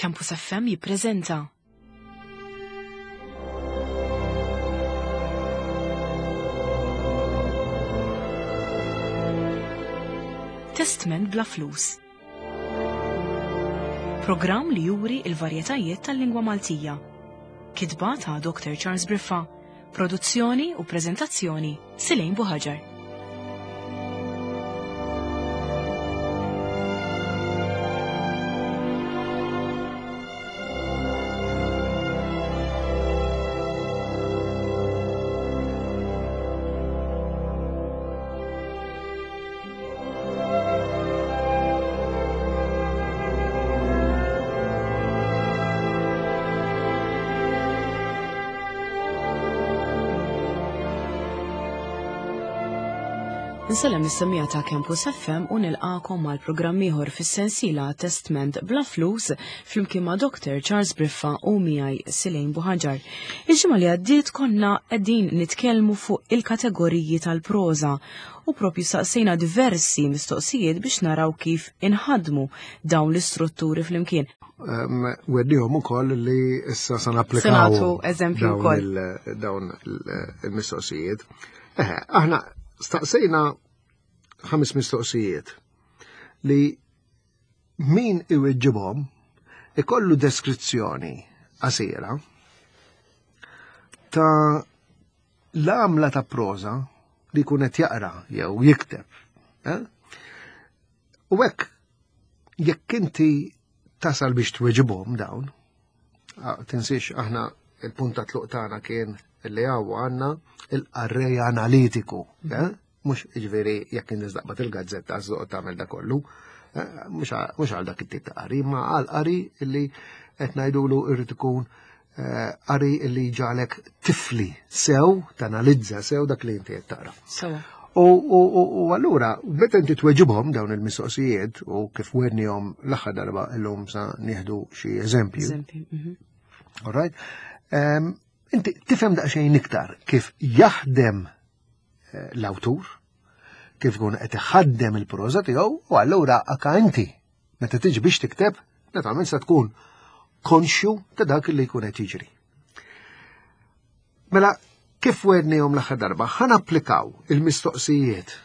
Campus FM jippreżenta. Testment bla flus. Programm li juri il-varjetajiet tal-lingwa Maltija. Kitba ta' Dr. Charles Briffa, produzzjoni u preżentazzjoni Silejn Buħaġar. Nsellem lis-semmiegħa ta' Campus FM u nilqakom għal programm ieħor fis-sensiela Testment bla flus flimkien ma' Dr. Charles Briffa u miegħi Silejn Buħaġar. Il-ġimgħa li għaddiet konna qegħdin nitkellmu fuq il-kategoriji tal-proża u propju saqsejna diversi mistoqsijiet biex naraw kif inħadmu dawn l-istrutturi flimkien. Weddihom ukoll li issa se napplikaw. Se eżempju wkoll. Dawn il-mistoqsijiet. Eħe, aħna staqsejna ħames mistoqsijiet li min iweġġibhom ikollu deskrizzjoni qasira ta' l-għamla ta' proża li jkun qed jaqra jew jikteb. Eh? U hekk jekk inti tasal biex tweġibhom dawn, tinsiex aħna il-punt ta' tluq tagħna kien li hawn għandna il-qarrej analitiku, mhm. eh? mhux jiġifieri jekk inti taqbad il-gazzetta żoq tagħmel da kollu, eh, mhux għal dak it-tip ta' qari, ma għal qari li qed ngħidulu irrid ikun eh, qari li ġalek tifli sew, tanalizza sew dak li inti qed taqra. U allura, meta inti tweġibhom dawn il-mistoqsijiet u kif wednihom l-aħħar darba illum sa nieħdu xi eżempju. Mhm. All right? Inti tifhem daqsxejn iktar kif jaħdem eh, l-awtur, kif ikun qed iħaddem il-proża tiegħu u allura anka inti meta tiġi biex tikteb, naturalment se tkun konxju ta' dak li jkun qed jiġri. Mela, kif wednihom l-aħħar darba, ħan applikaw il-mistoqsijiet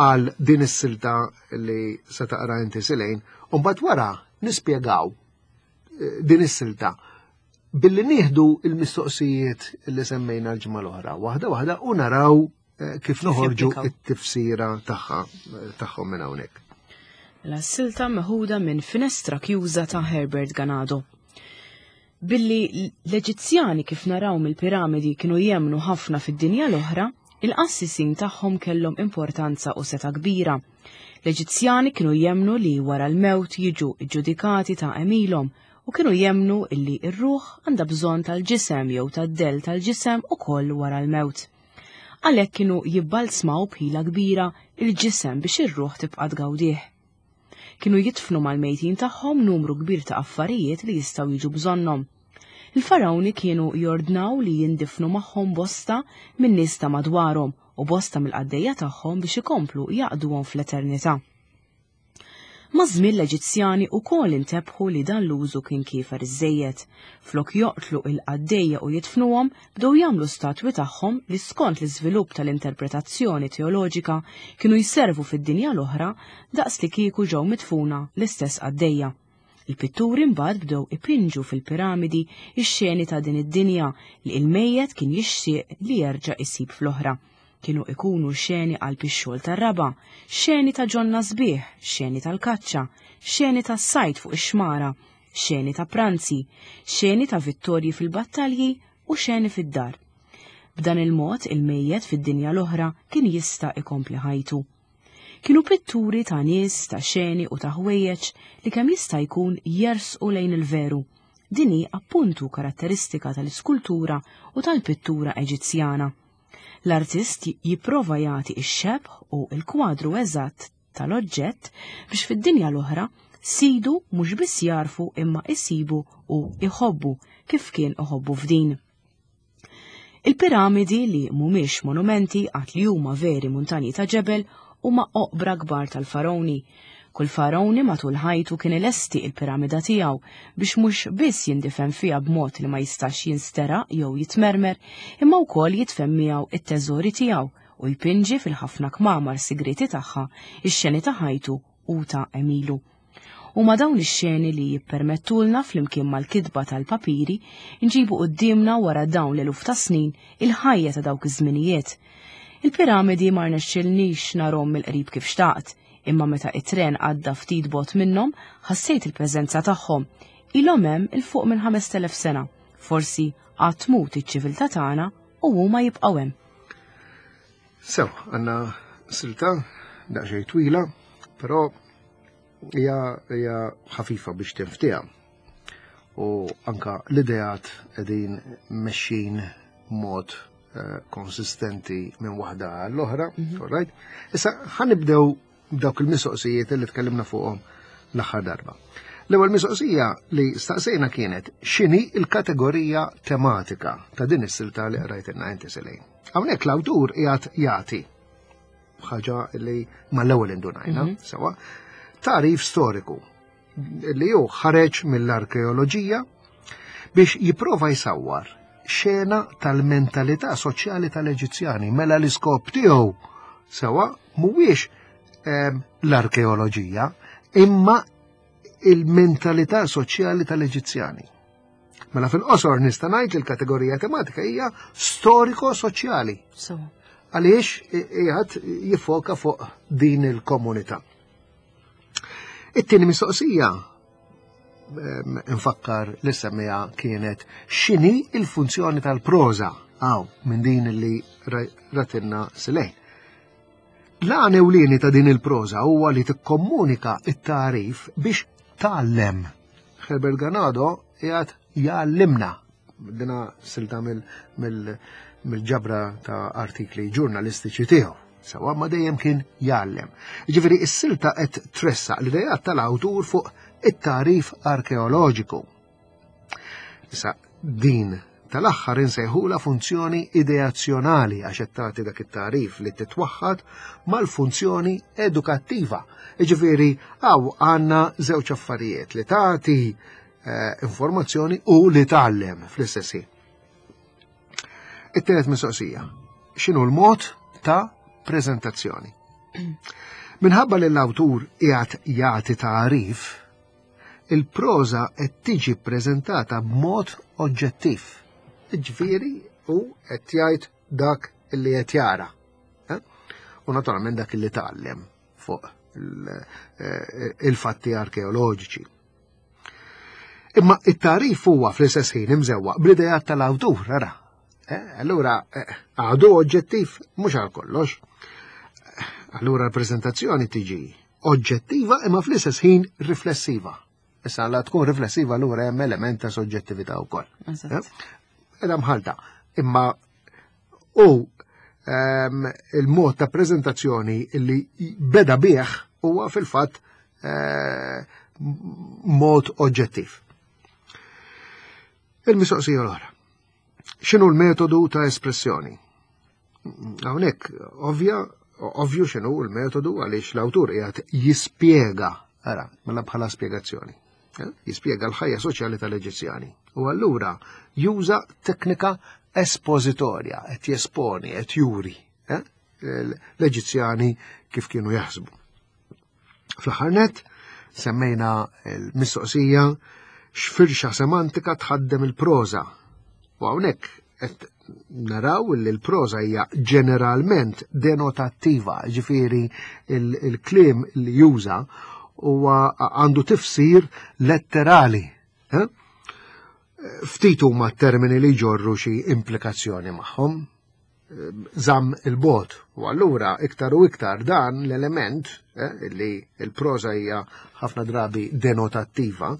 għal din is-silta li se taqra inti silejn, u mbagħad wara nispjegaw eh, din is-silta billi nieħdu il-mistoqsijiet li semmejna l-ġimgħa l-oħra, waħda waħda u naraw eh, kif noħorġu it-tifsira tagħha eh, tagħhom minn hawnhekk. La silta meħuda minn Finestra Kjuża ta' Herbert Ganado. Billi l-Eġizzjani kif naraw mill-piramidi kienu jemmnu ħafna fid-dinja l-oħra, il-qassisin tagħhom kellhom importanza u setgħa kbira. L-Eġizzjani kienu jemmnu li wara l-mewt jiġu ġġudikati ta' għemilhom u kienu jemmnu illi r-ruħ għandha bżonn tal-ġisem jew tad-dell tal-ġisem ukoll wara l-mewt. Għalhekk kienu jibbalzmaw b'ħila kbira il-ġisem biex ir-ruħ tibqa' tgawdih. Kienu jidfnu mal-mejtin tagħhom numru kbir ta' affarijiet li jistgħu jiġu bżonnhom. Il-Farawni kienu jordnaw li jindifnu magħhom bosta min-nies ta' madwarhom u bosta mill-qaddejja tagħhom biex ikomplu jaqduhom fl-eternità. Maż-żmien l-Eġizzjani wkoll intebħu li dan l-użu kien kiefer iżżejjed. Flok joqtlu il-qaddejja u jidfnuhom, bdew jagħmlu statwi tagħhom li skont l-iżvilupp tal-interpretazzjoni teoloġika kienu jservu fid-dinja l-oħra daqs li kieku ġew midfuna l-istess qaddejja. Il-pitturi mbagħad bdew ipinġu fil-piramidi x-xeni ta' din id-dinja li il-mejjet kien jixtieq li jerġa' isib fl-oħra. Kienu ikunu xeni qalb ix-xogħol tar-raba', xeni ta' ġonna sbieħ, xeni tal-kaċċa, xeni tas-sajd fuq ix-xmara, xeni ta' pranzi, xeni ta' vittorji fil-battalji u xeni fid-dar. B'dan il-mod il-mejjet fid-dinja l-oħra kien jista' ikompli ħajtu. Kienu pitturi ta' nies, ta' xeni u ta' ħwejjeġ li kemm jista' jkun jersqu lejn il-veru. Din hi appuntu karatteristika tal-iskultura u tal-pittura Eġizzjana. L-artist jipprova jagħti x-xebh u l-kwadru eżatt tal-oġġett biex fid-dinja l-oħra sidu mhux biss jarfu imma isibu u iħobbu kif kien iħobbu f'din. Il-piramidi li mhumiex monumenti għad li huma veri muntanji ta' ġebel huma oqbra kbar tal-faroni. Kull farawni matul ħajtu kien ilesti il-piramida tiegħu biex mhux biss jindifen fiha b'mod li ma jistax jinsteraq jew jitmermer, imma wkoll jidfen miegħu it-teżori tiegħu u jpinġi fil-ħafna kmamar sigrieti tagħha x-xeni ta' ħajtu u ta' għemilu. Huma dawn ix-xeni li jippermettulna flimkien mal-kitba tal-papiri nġibu quddiemna wara dawn l-eluf ta' snin il-ħajja ta' dawk iż-żminijiet. Il-piramidi ma rnexxilnix narhom mill-qrib kif xtaqt, imma meta it-tren għadda ftit bogħod minnhom ħassejt il-preżenza tagħhom. Ilhom hemm 'il fuq minn 5,000 sena. Forsi għad tmut iċ-ċiviltà tagħna u huma jibqgħu hemm. Sew, għandna silta daqsxejn twila, però hija hija ħafifa biex tinftiha. U anka l-ideat qegħdin mexxin mod eh, konsistenti minn waħda għall-oħra, mm -hmm. right? Issa ħanibdew dawk il-mistoqsijiet li tkellimna fuqhom l-aħħar darba. L-ewwel mistoqsija li staqsejna kienet x'inhi l-kategorija tematika ta' din is-silta li qrajtilna inti Selejn. Hawnhekk l-awtur qiegħed jagħti ħaġa li mal-ewwel indunajna, mm -hmm. sewa, tarif storiku li hu ħareġ mill-arkeoloġija biex jipprova jsawwar xena tal-mentalità soċjali tal-Eġizzjani mela l-iskop tiegħu sewa mhuwiex ehm, l-arkeoloġija imma il-mentalità soċjali tal-Eġizzjani. Mela fil-qosor nista' ngħid li l-kategorija tematika hija storiko-soċjali. Għaliex qiegħed jiffoka fuq din il-komunità. It-tieni mistoqsija nfakkar li semmija kienet x'inhi il-funzjoni tal-proża għaw minn din li ratinna silejn. L-għan ewlieni ta' din il-proża huwa li tikkomunika it-tagħrif biex tgħallem. Herbert Ganado qiegħed jgħallimna dina silta mill-ġabra ta' artikli ġurnalistiċi tiegħu. Sewa ma dejjem kien jgħallem. Ġifieri s-silta qed tressaq l-idejat tal-awtur fuq it-tagħrif arkeoloġiku. Issa din tal-aħħar insejħula funzjoni ideazzjonali għax qed tagħti dak it-tagħrif li titwaħħad mal-funzjoni edukattiva. Jiġifieri hawn għandna żewġ affarijiet li tagħti eh, informazzjoni u li tgħallem fl-istess ħin. It-tielet mistoqsija. X'inhu l-mod ta' preżentazzjoni? Minħabba li l-awtur qiegħed jagħti tagħrif, il-proża qed tiġi ppreżentata b'mod oġġettiv. Ġifieri hu qed jgħid dak li qed jara. Eh? U naturalment dak li tgħallem fuq eh, il-fatti arkeoloġiċi. Imma it-tarif huwa fl-istess ħin imżewwaq bl-idejat tal-awtur, ara. Eh, allura għadu oġġettiv mhux għal kollox. Allura l-preżentazzjoni tiġi oġġettiva imma fl-istess ħin riflessiva. Issa la tkun riflessiva allura hemm element ta' soġġettività wkoll. Eh? Edha mħalta. Imma u ehm, il-mod ta' prezentazzjoni li beda bih huwa fil-fatt eh, mod oġġettiv. Il-mistoqsija l-oħra. X'inhu l-metodu ta' espressjoni? Hawnhekk ovvja, ovvju x'inhu l-metodu għaliex l-awtur qiegħed jispjega, ara, mela bħala spjegazzjoni. Eh, jispjega l-ħajja soċjali tal-Eġizzjani. U allura juża teknika espożitorja, qed jesponi, qed juri eh, l-Eġizzjani kif kienu jaħsbu. Fl-aħħar nett, semmejna l-mistoqsija x'firxa semantika tħaddem il-proża. U hawnhekk qed naraw li l-proża hija ġeneralment denotattiva, ġifieri il-kliem li juża huwa għandu tifsir letterali. Eh? Ftit huma termini li jġorru xi implikazzjoni magħhom. Żamm il-bot. U allura iktar u iktar dan l-element eh, li l-proża hija ħafna drabi denotattiva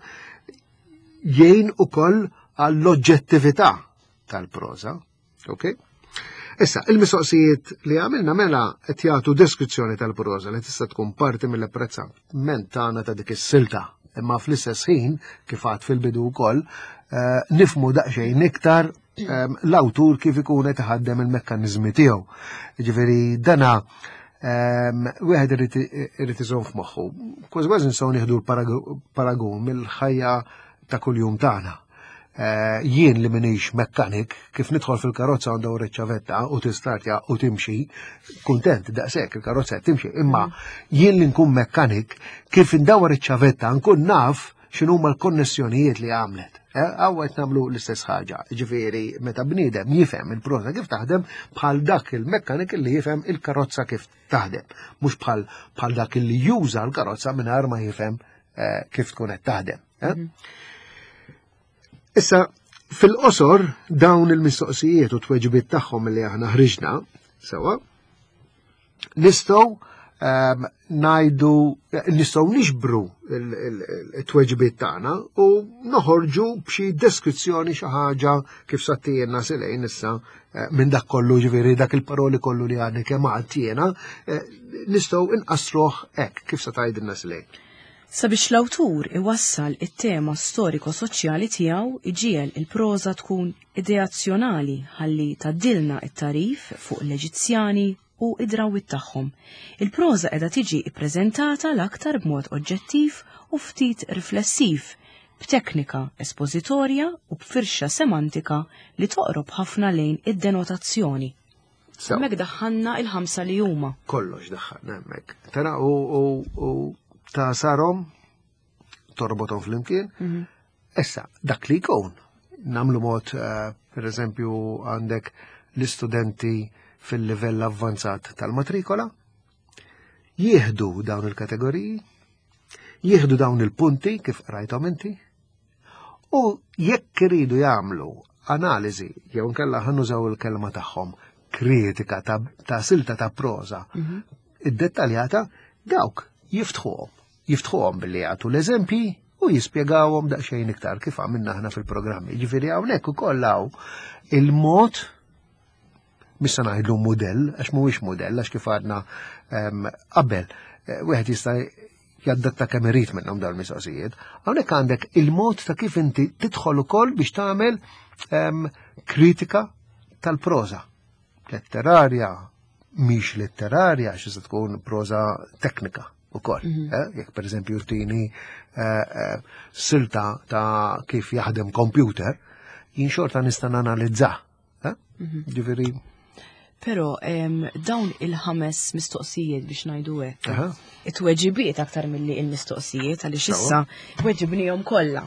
jgħin ukoll għall-oġġettività tal-proża. Ok? Issa, il-mistoqsijiet li għamilna mela qed jagħtu deskrizzjoni tal-proża li tista' tkun parti mill-apprezzament tagħna ta' dik is-silta. Imma fl-istess ħin, kif għad fil-bidu wkoll, eh, nifmu daqsxejn iktar Ehm, l-awtur kif ikun qed iħaddem il-mekkaniżmi tiegħu. Ġifieri dana Wieħed irid iżomm f'moħħu. Kważi kważi nistgħu nieħdu l-paragun mill-ħajja ta' kuljum tagħna. Eh, jien li minix mekkanik, kif nidħol fil-karozza għandha ċavetta u tistartja u timxi, kuntent daqshekk il-karozza timxi, imma mm. jien li nkun mekkanik, kif indawar iċ-ċavetta nkun naf x'inhuma l-konnessjonijiet li għamlet. Eh, għaw qed nagħmlu l-istess ħaġa, ġifieri meta bniedem jifhem il-prosa kif taħdem bħal dak il-mekkanik li jifhem il-karozza kif taħdem, mhux bħal bħal dak li juża l-karozza mingħajr ma jifhem eh, kif tkun qed taħdem. Eh? Mhm. Issa, fil-qosor dawn il-mistoqsijiet u tweġibiet tagħhom li aħna ħriġna, sewa, nistgħu ehm, ngħidu nistgħu nixbru il-tweġibiet tagħna u noħorġu b'xi deskrizzjoni xi ħaġa kif sattijena silejn issa eh, minn dak kollu ġifieri dak il-paroli kollu li għadni kemm għadt jiena eh, nistgħu inqasruh hekk kif se tgħidilna silejn. Sabiex l-awtur iwassal it-tema storiko-soċjali tiegħu iġiegħel il-proża tkun ideazzjonali ħalli tgħaddilna t-tagħrif fuq l-Eġizzjani u d-drawwiet tagħhom. Il-proża qiegħda tiġi ppreżentata l-aktar b'mod oġġettiv u ftit riflessiv, b'teknika espożitorja u b'firxa semantika li toqrob ħafna lejn id-denotazzjoni. Hemmhekk daħħalna il-ħamsa li huma. Kollox daħħalna hemmhekk. Tara u ta' sarhom torbothom flimkien. Mhm. Issa, dak li jkun, namlu mod, eh, per eżempju, għandek l-istudenti fil-livell avvanzat tal-matrikola, jieħdu dawn il-kategoriji, jieħdu dawn il-punti kif qrajthom inti, U jekk iridu jagħmlu analiżi jew inkella ħanużaw il-kelma tagħhom kritika ta', ta silta ta' proża mm -hmm. iddettaljata, dawk jiftħuhom. Jiftħuhom billi jagħtu l-eżempji u jispjegawhom daqsxejn iktar kif għamilna aħna fil-programmi. Ġifieri hawnhekk ukoll hawn il-mod mhux se ngħidlu mudell, għax mhuwiex mudell, għax kif għadna ehm, qabel, eh, wieħed jista' jaddatta kemm irid minnhom dawn il-mistoqsijiet. Hawnhekk għandek il-mod ta' kif inti tidħol ukoll biex tagħmel ehm, kritika tal-proża. Letterarja, mhix letterarja, xi se tkun proża teknika ukoll. Mm -hmm. eh? Jekk pereżempju tini eh, eh, silta ta' kif jaħdem computer, jien xorta nista' nanalizza Eh? Mhm. Ġifieri. Però dawn il-ħames mistoqsijiet biex ngħidu hekk. It-tweġibiet aktar milli il-mistoqsijiet għaliex issa weġibnihom kollha.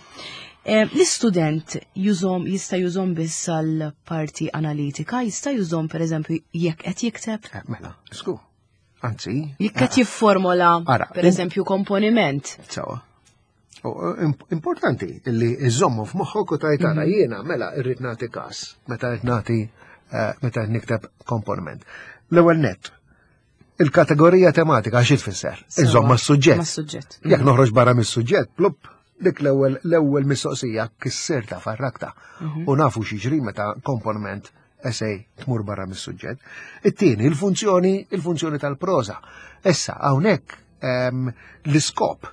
L-istudent jużom jista' jużom biss għal parti analitika, jista' jużom pereżempju jekk qed jikteb? Eh, mela, sku. Anzi. Jekk qed eh, jifformola pereżempju komponiment. Sawa. Importanti li iżommu f'moħħok u tajt ara mhm. jiena mela irrid nagħti każ meta qed nagħti eh, meta qed nikteb komponiment. L-ewwel net, il-kategorija tematika xi tfisser? Iżomm mas-suġġett. Mas-suġġett. Jekk mhm. noħroġ barra mis-suġġett, plupp, dik l-ewwel l-ewwel mistoqsija kissirta farrakta. Mhm. U nafu x'jiġri meta komponiment essay tmur barra mis-suġġett. It-tieni, il-funzjoni, il-funzjoni tal-proża. Issa hawnhekk ehm, l-iskop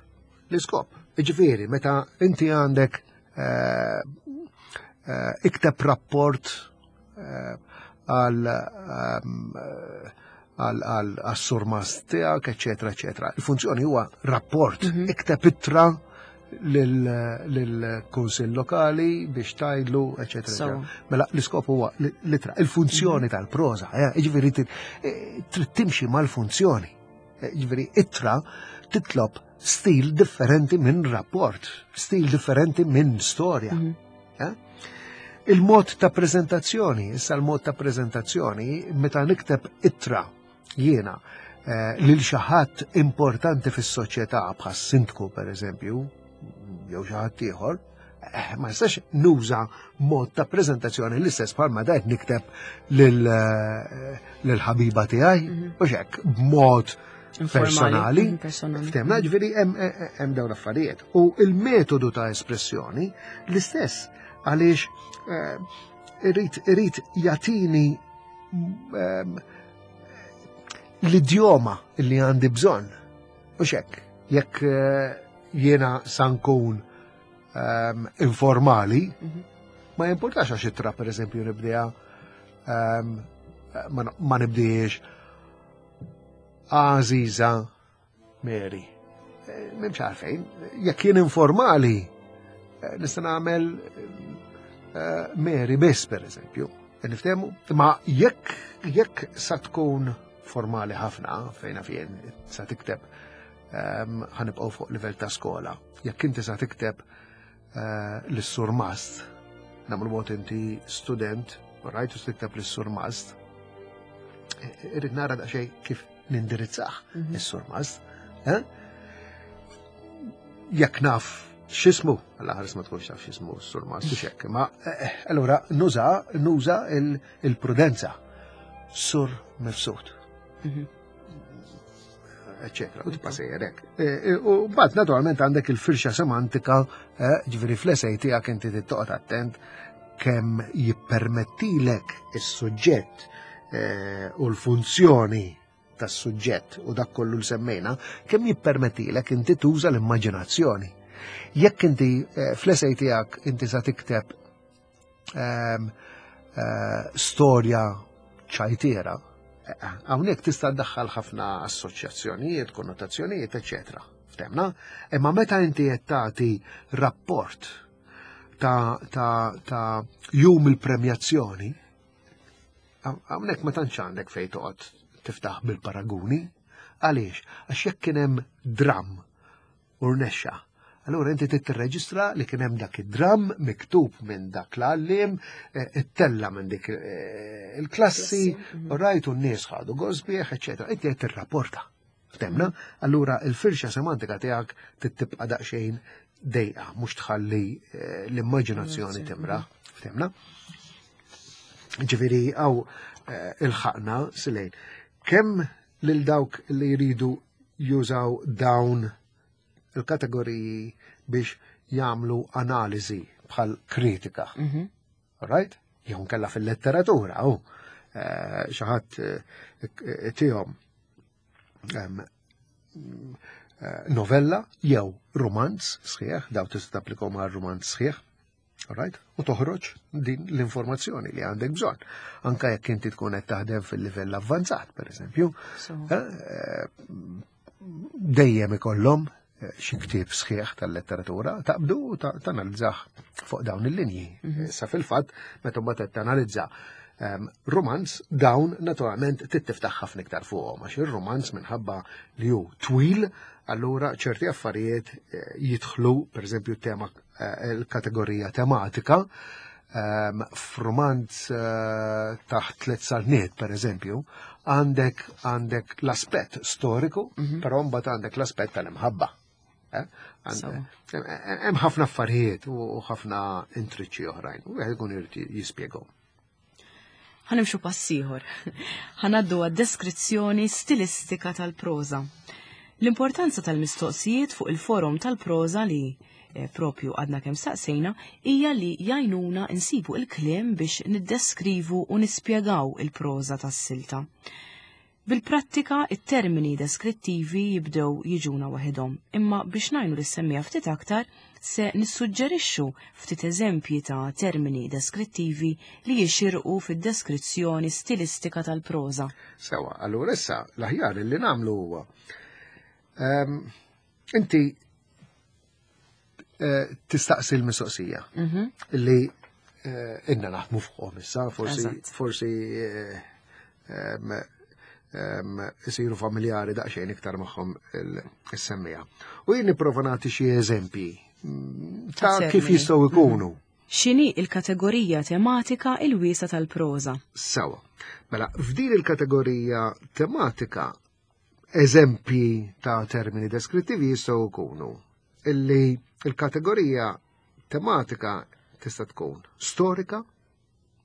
L-iskop, ġifieri, meta inti għandek eh, eh, ikteb rapport eh, għal għal-surmas tiegħek, eċetera, eċetera. Il-funzjoni huwa rapport, mhm. ikteb ittra lill-kunsill lokali biex tajdlu, eċetera. Mela l-iskop huwa l-ittra, il-funzjoni mhm. tal-proża, ġifieri trid timxi mal-funzjoni. Eh, ġifieri ittra titlob stil differenti minn rapport, stil differenti minn storja. Mm -hmm. eh? Il-mod ta' prezentazzjoni, issa l-mod ta' prezentazzjoni, meta nikteb ittra jiena eh, lil xi ħadd importanti fis-soċjetà bħas sindku pereżempju, jew xi ħadd ieħor, eh, ma nistax nuża mod ta' prezentazzjoni l-istess bħalma dajt nikteb eh, lil-ħabiba tiegħi, mhm. u hekk b'mod personali. Mhm, Ftemna ġifieri hemm dawn l-affarijiet. U il-metodu ta' espressjoni l-istess għaliex eh, irrid jagħtini ehm, l-idjoma li għandi bżonn. U xek, jekk jiena sankun um, informali, mhm. ma jimportax għax ittra per eżempju nibdija um, ma, ma nibdijiex. Għażiża Mary. Eh, m'hemmx għalfejn, jekk jien informali, eh, nista' nagħmel eh, Mary biss pereżempju. Niftehmu? Ma jekk jekk sa tkun formali ħafna fejna fien sa tikteb ehm, ħanibqgħu fuq livell ta' skola. Jekk inti sa tikteb l-surmast, nagħmlu mod inti student, rajt u tikteb l-surmast, irrid nara daqsxejn kif nindirizzah mhm. is-surmast. Eh? Jekk naf x'ismu, għalla ħares ma tkunx taf x'ismu s-surmast u xekk, ma eh, eh, allura nuża nuża il-prudenza. Sur mifsud. Mhm. Eccetera, u tibqa' sejjer hekk. U mbagħad naturalment għandek il-firxa semantika, ġifieri fl-esej tiegħek inti tittoqgħod attent kemm jippermettilek is-suġġett eh, u l-funzjoni tas-suġġett u dak kollu l semmejna, kemm jippermettilek inti tuża l-immaġinazzjoni. Jekk inti eh, fl-esej tiegħek inti sa tikteb ehm, eh, storja ċajtiera, hawnhekk tista' ddaħħal ħafna assoċjazzjonijiet, konnotazzjonijiet, eċetera. Ftemna? Imma meta inti qed tagħti rapport ta', ta, ta jum il-premjazzjoni, hawnhekk ma tantx għandek fejn toqgħod tiftaħ bil-paraguni. Għaliex? Għax jekk kien hemm dram u rnexxa, allura inti trid tirreġistra li kien hemm dak id-dram miktub minn dak l-għalliem, eh, ittella minn dik eh, il-klassi, mhm. rajt u n-nies ħadu gosbieħ, eċetera. Inti qed tirrapporta. Ftemna? Allura il-firxa semantika tiegħek tibqa' daqsxejn dejqa, mhux tħalli eh, l-immaġinazzjoni timra. Ftemna? Ġifieri għaw eh, il-ħaqna silejn. Kemm lil dawk li jridu jużaw dawn il-kategoriji biex jagħmlu analiżi bħal kritika. Mhm. Right? Jew nkella fil-letteratura, u eh, xi ħadd eh, tihom eh, novella jew romanz sħiħ, daw tista' tapplikom għal romanz sħiħ, right? U toħroġ din l-informazzjoni li għandek bżonn. Anka jekk inti tkun qed taħdem fil-livell avvanzat, per eżempju, dejjem ikollhom eh, xi ktieb sħiħ tal-letteratura taqbdu u tanalizzah fuq dawn il-linji. Mhm. Sa fil-fatt, meta mbagħad qed tanalizza ehm, romanz dawn naturalment tittiftaħ ħafna iktar fuqhom għax ir-romanz minħabba li hu twil, allura ċerti affarijiet eh, jidħlu, pereżempju tema eh, il-kategorija tematika, ehm, f'romanz eh, taħt tliet salniet, per eżempju, għandek għandek l-aspett storiku, mm -hmm. però mbagħad għandek l-aspett tal-imħabba. Eh? Hemm ħafna affarijiet u ħafna intriċċi oħrajn, u wieħed ikun irid jispjegahom. Ħanimxu pass ieħor. Ħanaddu għad-deskrizzjoni stilistika tal-proża. L-importanza tal-mistoqsijiet fuq il-forum tal-proża li eh, propju għadna kemm staqsejna hija li jgħinuna nsibu il-kliem biex niddeskrivu u nispjegaw il-proża tas-silta. Bil-prattika, it-termini deskrittivi jibdew jiġuna waħedhom, imma biex ngħinu lis-semmiegħa ftit aktar, se nissuġġerixxu ftit eżempji ta' termini deskrittivi li jixirqu fid-deskrizzjoni stilistika tal-proża. Sewa, allura issa l-aħjar li nagħmlu huwa ehm, inti eh, tistaqsi l-mistoqsija mhm. li eh, inna naħdmu fuqhom issa, forsi forsi eh, isiru familjari daqsxejn iktar magħhom is-semmija. U jien nipprova nagħti xi eżempji mm, ta' kif jistgħu ikunu. Mhm. X'inhi il-kategorija tematika il-wiesa tal-proża? Sawa. Mela, f'din il-kategorija tematika Eżempji ta' termini deskrittivi jistgħu jkunu illi il-kategorija tematika tista' tkun storika,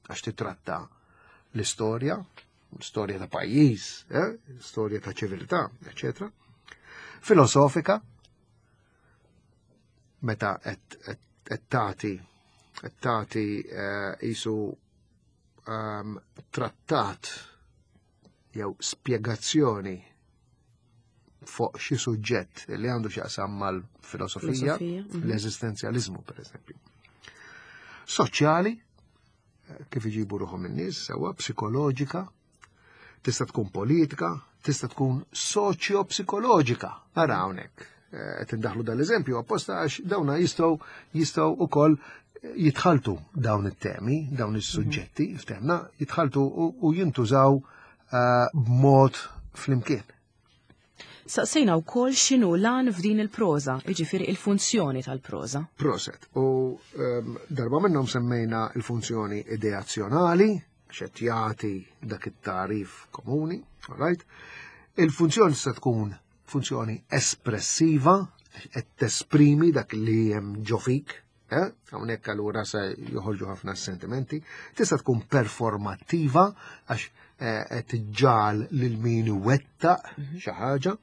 għax titratta l-istorja, storja ta' pajjiż, eh, storja ta' ċiviltà, eccetera. Filosofika, meta qed tagħti qed tagħti eh, isu ehm, trattat jew spjegazzjoni fuq xi suġġett li għandu x'jaqsam mal-filosofija, mhm. l-eżistenzjaliżmu pereżempju. Soċjali, eh, kif iġibu ruħhom in-nies, sewwa psikoloġika, tista' tkun politika, tista' tkun soċjo-psikoloġika. Ara hawnhekk eh, qed indaħlu dal-eżempju apposta għax dawna jistgħu jistgħu ukoll jitħaltu dawn it-temi, dawn is-suġġetti, mhm. ftemna, jitħaltu u jintużaw eh, b'mod flimkien. Saqsejna wkoll x'inhu l-għan f'din il-proża, jiġifieri il-funzjoni tal-proża. Proset. U um, darba minnhom semmejna il-funzjoni ideazzjonali, xed jagħti dak it-tarif komuni, right? Il-funzjoni se tkun funzjoni espressiva, qed tesprimi dak li hemm ġo fik, eh? Hawnhekk allura se joħorġu ħafna sentimenti. Tista' tkun performattiva għax eh, qed tiġġal lil min iwettaq mhm. xi ħaġa.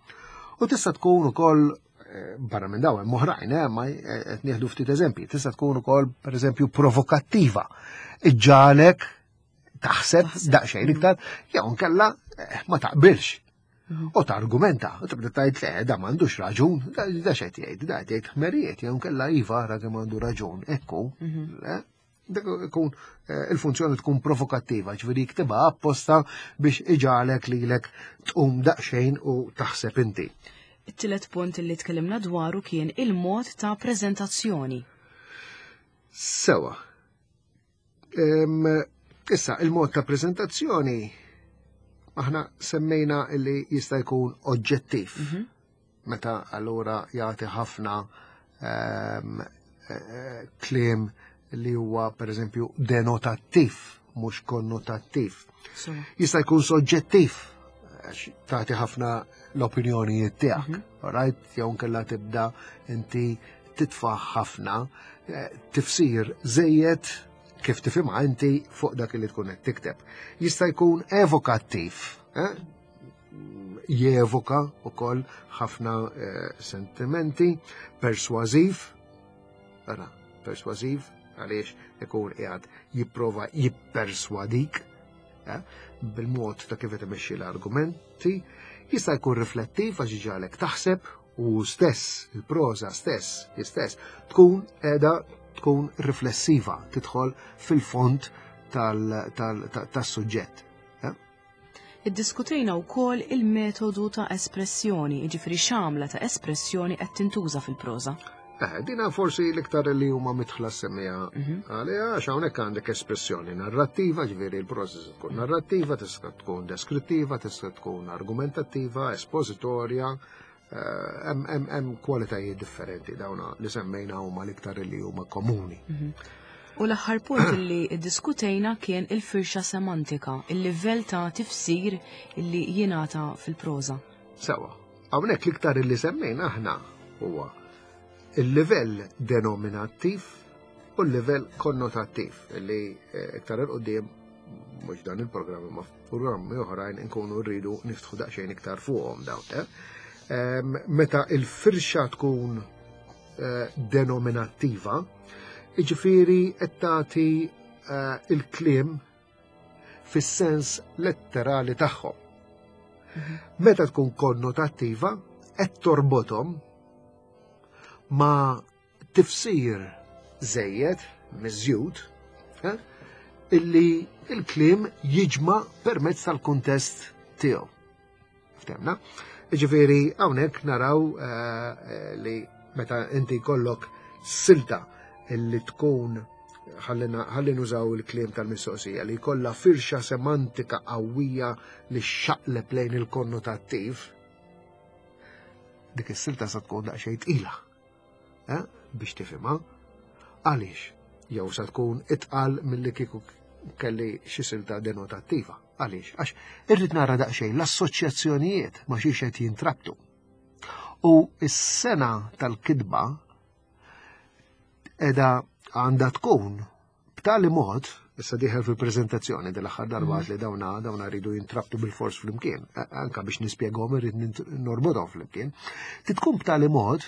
U tista' tkun ukoll eh, barra minn dawn hemm oħrajn, eh, ma qed nieħdu ftit eżempji, tista' tkun ukoll pereżempju provokattiva. Iġġalek taħseb daqsxejn iktar, jew nkella ma taqbilx. Mhm. U targumenta, u tibda tgħid le, da m'għandux raġun, da xed jgħid, da jgħid ħmerijiet, jew nkella iva ara kemm għandu raġun, ekku. Mhm. Dak ikun eh, il-funzjoni tkun provokattiva, ġifieri jiktibha apposta biex iġalek lilek tqum daqsxejn u taħseb inti. It-tielet punt li tkellimna dwaru kien il-mod ta' preżentazzjoni. Sewa, Issa, il-mod ta' prezentazzjoni aħna semmejna li jista' jkun oġġettiv. Mhm. Meta allura jagħti ħafna eh, kliem li huwa pereżempju denotattiv, mhux konnotattiv. Jista' jkun soġġettiv, għax tagħti ħafna l-opinjonijiet tiegħek, mhm. right? Jew nkella tibda inti titfa' ħafna eh, tifsir żejjed kif tifhimha inti fuq dak li tkun qed tikteb. Jista' jkun evokattiv, eh? jevoka wkoll ħafna eh, sentimenti, persważiv, ara, persważiv għaliex ikun qiegħed jipprova jipperswadik eh, bil-mod ta' kif qed imexxi l-argumenti, jista' jkun riflettiv għax iġagħlek taħseb u stess, il-proża stess, istess, tkun qiegħda tkun riflessiva, tidħol fil-fond tas-suġġett. Eh? Iddiskutejna wkoll il-metodu ta' espressjoni, jiġifieri x'għamla ta' espressjoni qed tintuża fil-proża. Eh, dina forsi l-iktar li huma mitħla semmija mhm. għaliha għax hawnhekk għandek espressjoni narrattiva, ġifieri l-proża tkun narrattiva, tista' tkun deskrittiva, tista' tkun argumentattiva, espożitorja, eh, hemm kwalitajiet differenti dawna li semmejna huma l-iktar li huma komuni. Mhm. U l-aħħar punt li ddiskutejna kien il-firxa semantika, il-livell ta' tifsir li jingħata fil-proża. Sewa, hawnhekk l-iktar li semmejna aħna huwa il-livell denominattiv u l-livell konnotattiv li eh, iktar il-qudiem mhux dan il-programm ma programmi oħrajn inkunu rridu niftħu daqsxejn iktar fuqhom dawn. Eh? Ehm, meta il-firxa tkun eh, denominattiva, jiġifieri qed tagħti il-kliem fis-sens letterali tagħhom. Mhm. Meta tkun konnotattiva, qed torbothom ma' tifsir żejjed, miżjud, eh, illi il-kliem jiġma permezz tal-kuntest tiegħu. Ftemna? Ġifieri hawnhekk naraw eh, eh, li meta inti jkollok silta illi tkun ħalli nużaw il-kliem tal-mistoqsija li jkollha firxa semantika qawwija li xaqleb lejn il-konnotattiv, dik is-silta sa tkun daqsxejn tqila eh, biex tifhimha. Għaliex? Jew sa tkun itqal milli kieku kelli xi silta denotattiva. Għaliex? Għax irrid nara daqsxejn l-assoċjazzjonijiet ma xiex qed jintrabtu. U s-sena tal-kitba edha għandha tkun b'tali mod, issa diħel fil-prezentazzjoni dell-aħħar darba mhm. li dawna dawna rridu jintrabtu bil-fors flimkien, anka biex nispjegahom irrid norbodhom flimkien, titkun b'tali mod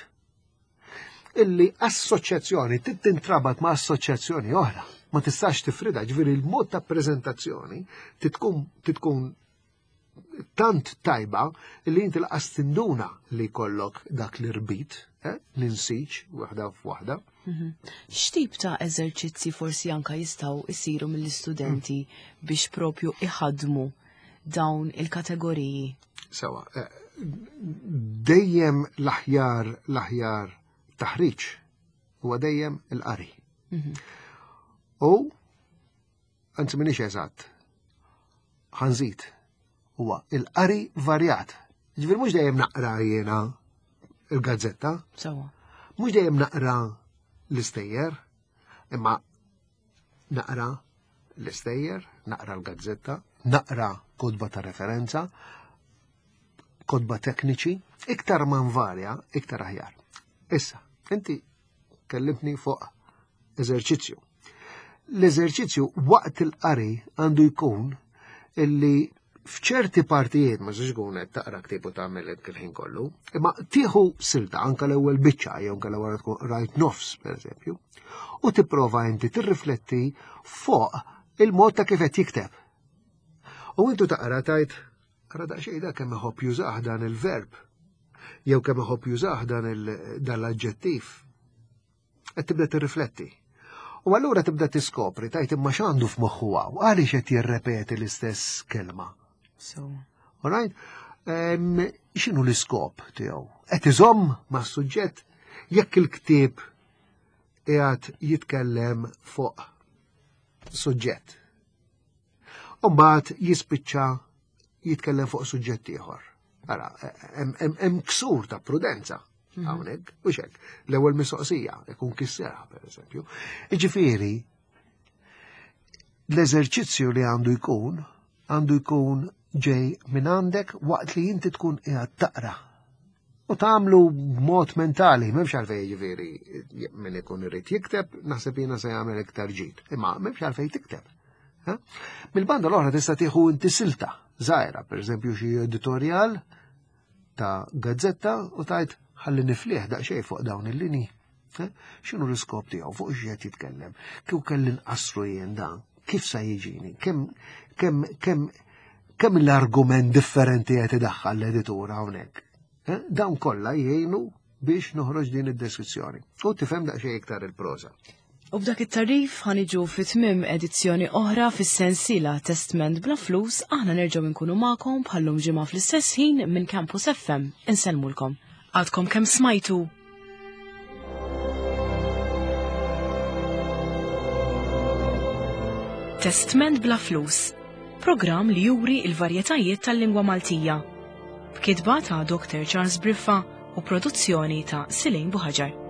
illi assoċjazzjoni tintrabat ma' assoċjazzjoni oħra. Ma tistax tifrida, ġifieri il-mod ta' prezentazzjoni titkun titkun tant tajba li inti laqas tinduna li kollok dak l-irbit, eh, l-insiġ, waħda f'waħda. Mhm. X'tip ta' eżerċizzi forsi anka jistgħu jsiru mill-istudenti biex propju iħadmu. dawn il-kategoriji? Sewa, eh, dejjem l-aħjar l-aħjar taħriġ huwa dejjem il-qari. Mhm. U anzi minix eżatt, ħanżid huwa il-qari varjat. Ġifieri mhux dejjem naqra jiena il-gazzetta. Sewa. Mhux dejjem naqra l-istejjer, imma naqra l-istejjer, naqra l-gazzetta, naqra kotba ta' referenza, kotba tekniċi, iktar ma nvarja, iktar aħjar. Issa, inti kellimtni fuq eżerċizzju. L-eżerċizzju waqt il-qari għandu jkun illi f'ċerti partijiet ma żiex tkun qed taqra ktieb u tagħmel hekk il-ħin kollu, imma tieħu silta anke l-ewwel biċċa jew anke l-ewwel tkun rajt nofs pereżempju, u tipprova inti tirrifletti fuq il-mod ta' kif qed jikteb. U intu taqra tajt ara daqsxejn da kemm iħobb jużah dan il-verb jew kemm iħobb jużah dan l-aġġettiv. Qed tibda tirrifletti. U allura tibda tiskopri tajt imma x'għandu f'moħħu hawn, għaliex qed jirrepeti l-istess kelma. So. All right? X'inhu l-iskop tiegħu? Qed iżomm mas-suġġett jekk il-ktieb qiegħed jitkellem fuq suġġett. U mbagħad jispiċċa jitkellem fuq suġġett ieħor. Ara, hemm ksur ta' prudenza mhm. hawnhekk, u xek. L-ewwel mistoqsija ikun kissera, pereżempju. Jiġifieri, l-eżerċizzju li għandu jkun, għandu jkun ġej minn għandek waqt li inti tkun qiegħed taqra. U tagħmlu b'mod mentali, m'hemmx għalfejn jiġifieri min ikun irid jikteb, naħseb jiena se jagħmel iktar ġid. Imma m'hemmx għalfejn tikteb. Mill-banda l-oħra tista' tieħu inti silta żgħira, pereżempju xi editorjal ta' gazzetta u tajt ħalli niflih daqsxejn fuq dawn il-linji. X'inhu l-iskop tiegħu fuq x'qed jitkellem? Kieku kelli nqassru jien dan, kif sa jiġini? Kemm kemm kemm kemm l-argument differenti qed idaħħal l-editur hawnhekk. Dawn kollha jgħinu biex noħroġ din id-deskrizzjoni. U tifhem daqsxejn iktar il-proża. U b'dak it-tarif ħaniġu fi tmiem edizzjoni oħra fis-sensiela Testment bla flus aħna nerġgħu nkunu magħkom bħallum ġimgħa fl-istess ħin minn Campus FM. Insellmulkom. Għadkom kemm smajtu Testment bla flus, programm li juri il-varjetajiet tal-lingwa Maltija. B'kitba ta' Dr. Charles Briffa u produzzjoni ta' Silin Buħaġar.